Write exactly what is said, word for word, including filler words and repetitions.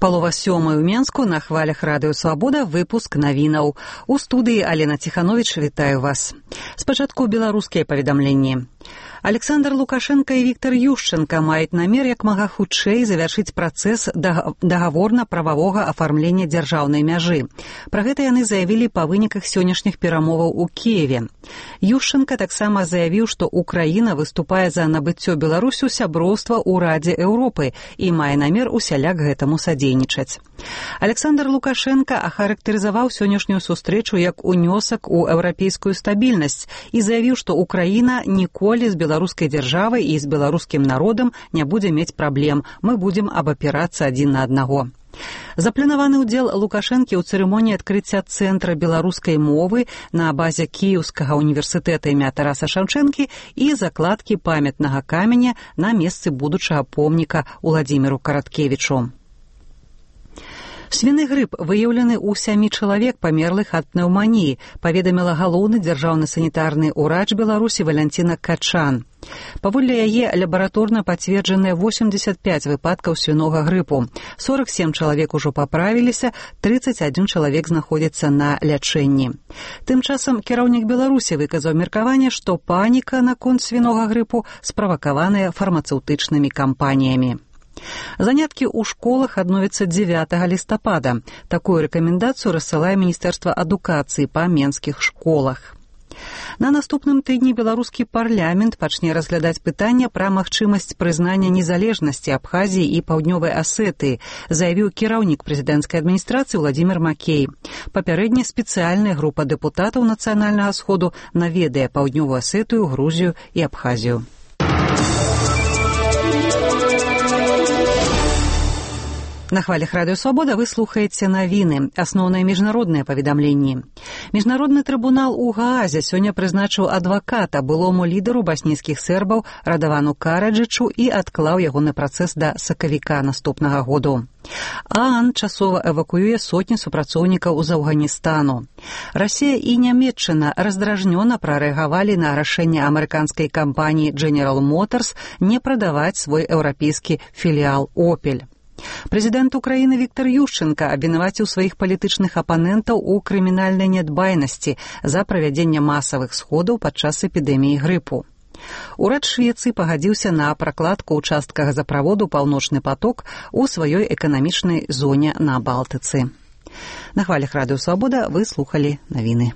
Палова сёмай у Менску, на хвалях радыё «Свабода», выпуск навінаў. У студыі Алена Ціхановіч, вітаю вас. Спачатку беларускія паведамленні. Александр Лукашенко і Віктор Ющенко маюць намер як мага хутчэй завяршыць працэс дагаворна-прававога афармлення дзяржаўнай мяжы. Пра гэта яны заявілі па выніках сённяшніх перамоваў у Кіеве. Ющенко таксама заявіў, што Украіна выступае за набыццё Беларусю сяброўства ў Радзе Еўропы і мае намер усяляк гэтаму садзейнічаць. Александр Лукашенко ахарактарызаваў сённяшнюю сустрэчу як унёсак у еўрапейскую стабільнасць і заявіў, што Украіна ніколі з беларускай дзяржавай і з беларускім народам не будзе мець праблем. Мы будзем абапірацца адзін на аднаго. Запланаваны ўдзел Лукашэнкі ў цырымоніі адкрыцця цэнтра беларускай мовы на базе Кіеўскага універсітэта імя Тараса Шаўчэнкі і закладкі памятнага каменя на месцы будучага помніка Уладзіміру Караткевічу. Свіны грып выяўлены ў сямі чалавек, памерлых ад пнеўманіі, паведаміла галоўны дзяржаўны санітарны ўрач Беларусі Валянціна Качан. Паводле яе лабараторна пацверджаныя восемьдесят пять выпадкаў свінога грыпу. сорок семь чалавек ужо паправіліся, тридцать один чалавек знаходзіцца на лячэнні. Тым часам кіраўнік Беларусі выказаў меркаванне, што паніка наконт свінога грыпу справакаваная фармацэўтычнымі кампаніямі. Заняткі ў школах адновяцца дзевятага лістапада. Такую рэкамендацыю рассылае Міністэрства адукацыі па менскіх школах. На наступным тыдні беларускі парламент пачне разглядаць пытанне пра магчымасць прызнання незалежнасці Абхазіі і Паўднёвай Асетыі, заявіў кіраўнік прэзідэнцкай адміністрацыі Владзімір Макей. Папярэдне спецыяльная група дэпутатаў Нацыянальнага сходу наведае Паўднёвую Асетыю, Грузію і Абхазію. На хвалях радыё «Свабода» вы слухаеце навіны, асноўныя міжнародныя паведамленні. Міжнародны трыбунал у Гаазе сёння прызначыў адваката былому лідару баснійскіх сербаў Радавану Караджычу і адклаў ягоны працэс да сакавіка наступнага году. ААН часова эвакуюе сотні супрацоўнікаў з Афганістану. Расія і Нямецчына раздражнёна прарэагавалі на рашэнне амерыканскай кампаніі General Motors не прадаваць свой еўрапейскі філіал «Опель». Прэзідэнт Украіны Віктор Ющенко абвінаваціў сваіх палітычных апанентаў у крымінальнай нядбайнасці за правядзенне масавых сходаў падчас эпідэміі грыпу. Урад Швецыі пагадзіўся на пракладку ўчастка газаправоду «Паўночны паток» у сваёй эканамічнай зоне на Балтыцы. На хвалях радыё «Свабода» вы слухалі навіны.